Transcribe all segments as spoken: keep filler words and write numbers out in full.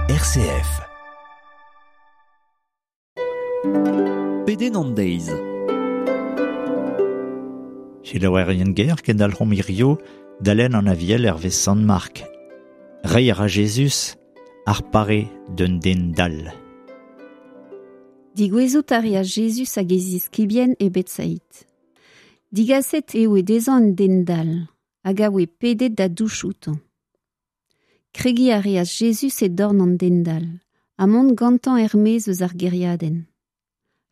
R C F. Pedenn an deiz. Selaouerien ger kendalc'homp hirio dalen an aviel hervez Sant Mark. Reiñ a ra Jezuz ar pare d'un den dall. Digouezout a reas Jezuz hag e ziskibien e Betsaid. Digaset eo e dezhañ un den dall, hag a oe pedet da douch outañ. Kregiñ a reas Jezuz e dorn an den dall, ha mont gantañ er-maez eus ar gêriadenn.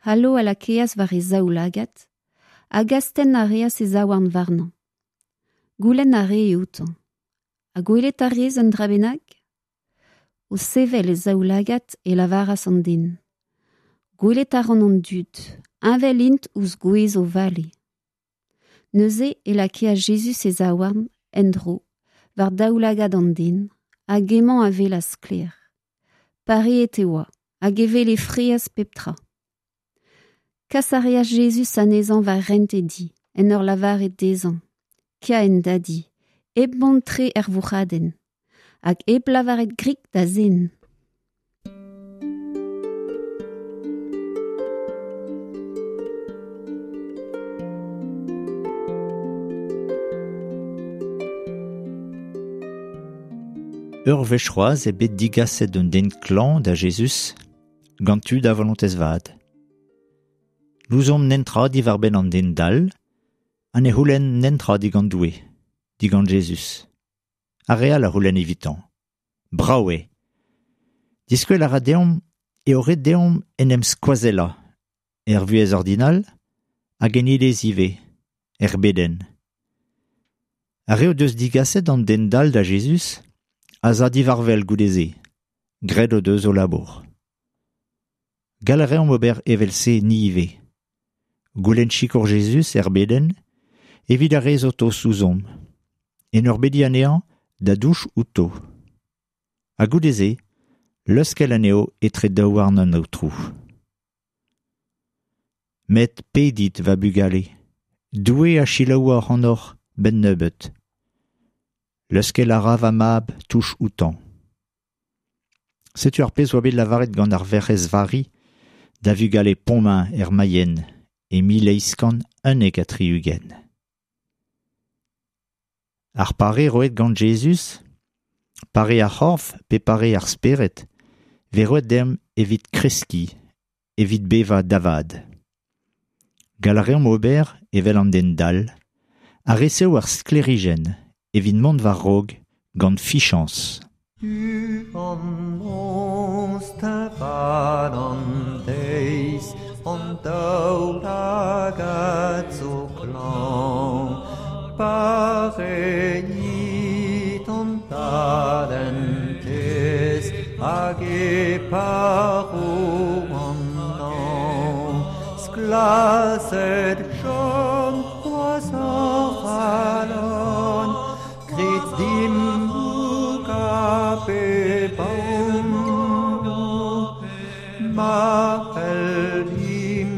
Halo a lakeas war e zaoulagad, hag astenn a reas e zaouarn warnañ. Goulenn a ree outañ. Ha gwelet a rez un dra bennak ? O sevel e zaoulagad e lavaras an den. Gwelet a ran an dud, heñvel int ouzh gwez o vale. Neuze e lakeas Jezuz e zaouarn, en-dro, war daoulagad an den, hag emañ a welas sklaer. Pareet e oa, hag e wele fraezh pep tra. Kas a reas Jezuz anezhañ war hent e di, en ur lavaret dezhañ, Kea en da di, hep mont tre er vourc'hadenn, hag hep lavaret grik da zen. Ur wech c'hoazh eo bet digaset un den klañv da Jezuz gant tud a volontez vat. N'ouzomp netra diwar-benn an den dall, ha ne c'houlenn netra digant Doue, digant Jezuz. Ar re all a c'houlenn evitañ. Brav eo. Diskwel a ra deomp eo ret deomp en em skoazellañ, er vuhez ordinal hag en iliz ivez, er bedenn. Ar re o deus digaset an den dall da Jezuz a za divarvel goude-se, graet o deus o labour. Gall a reomp ober evel-se ni ivez. Goulenn sikour Jezuz er bedenn, evit ar re zo tost ouzhomp. En ur bediñ anezhañ da douch outo. Ha goude-se, leuskel anezho etre daouarn an Aotrou. Met pedit, va bugale, Doue a selaouo ac'hanoc'h benn nebeut. Leuskel a ra va mab touch outañ. Setu ar pezh oa bet lavaret gant ar Werc'hez Vari da vugale Pontmain er Mayenne e mil eizh kant unnek ha tri-ugent. Ar pare roet gant Jezuz, pare ar c'horf pe pare ar spered, vez roet deomp evit kreskiñ, evit bevañ da vat. Gall a reomp ober evel an den dall, a resev ar sklêrijenn evit mont war-raok gant fichañs. Du an noz teñval an deiz, an daoulagad zo klañv, pareit an dallentez hag e paro an nañv. Sklaset chom c'hoazh hor c'halon, grit dimp boukañ pe baon. Ma c'hellimp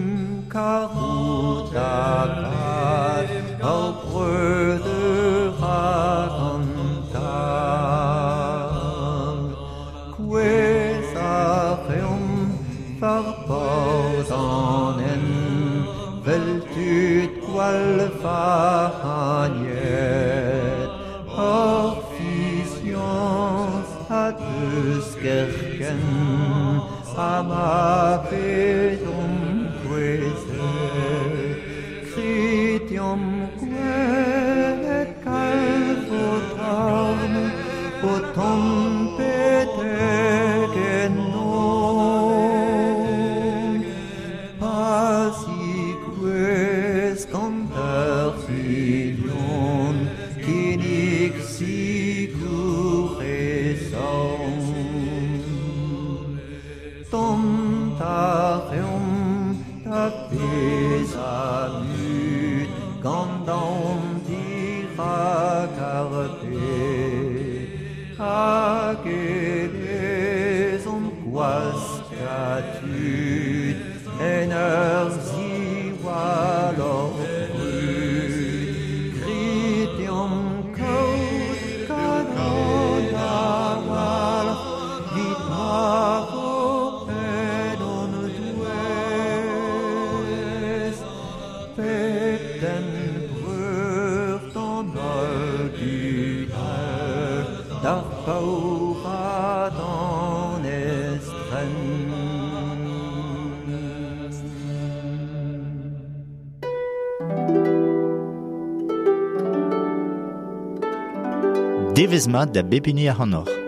karout da vat, hor breudeur hag an tad. Kouezhañ a reomp war borzh an hent, 'vel tud gwall vac'hagnet. Hor fiziañs a deus kerkent, ha ma vezomp kouezhet. Grit deomp gwelet kalz o torn, o tont betek ennomp. Pa zigouez gant ur filion, kinnig sikour e zorn. Dont a reomp da vezañ mut, gant aon dirak ar bed. Hag e lezomp gwaskañ tud en ur ziwall hor brud. Grit deomp kaout kalon a-walc'h 'vit ma Beden breur d'an holl dud all, d'ar paour ha d'an estren. Devezh mat da bep hini ac'hanoc'h.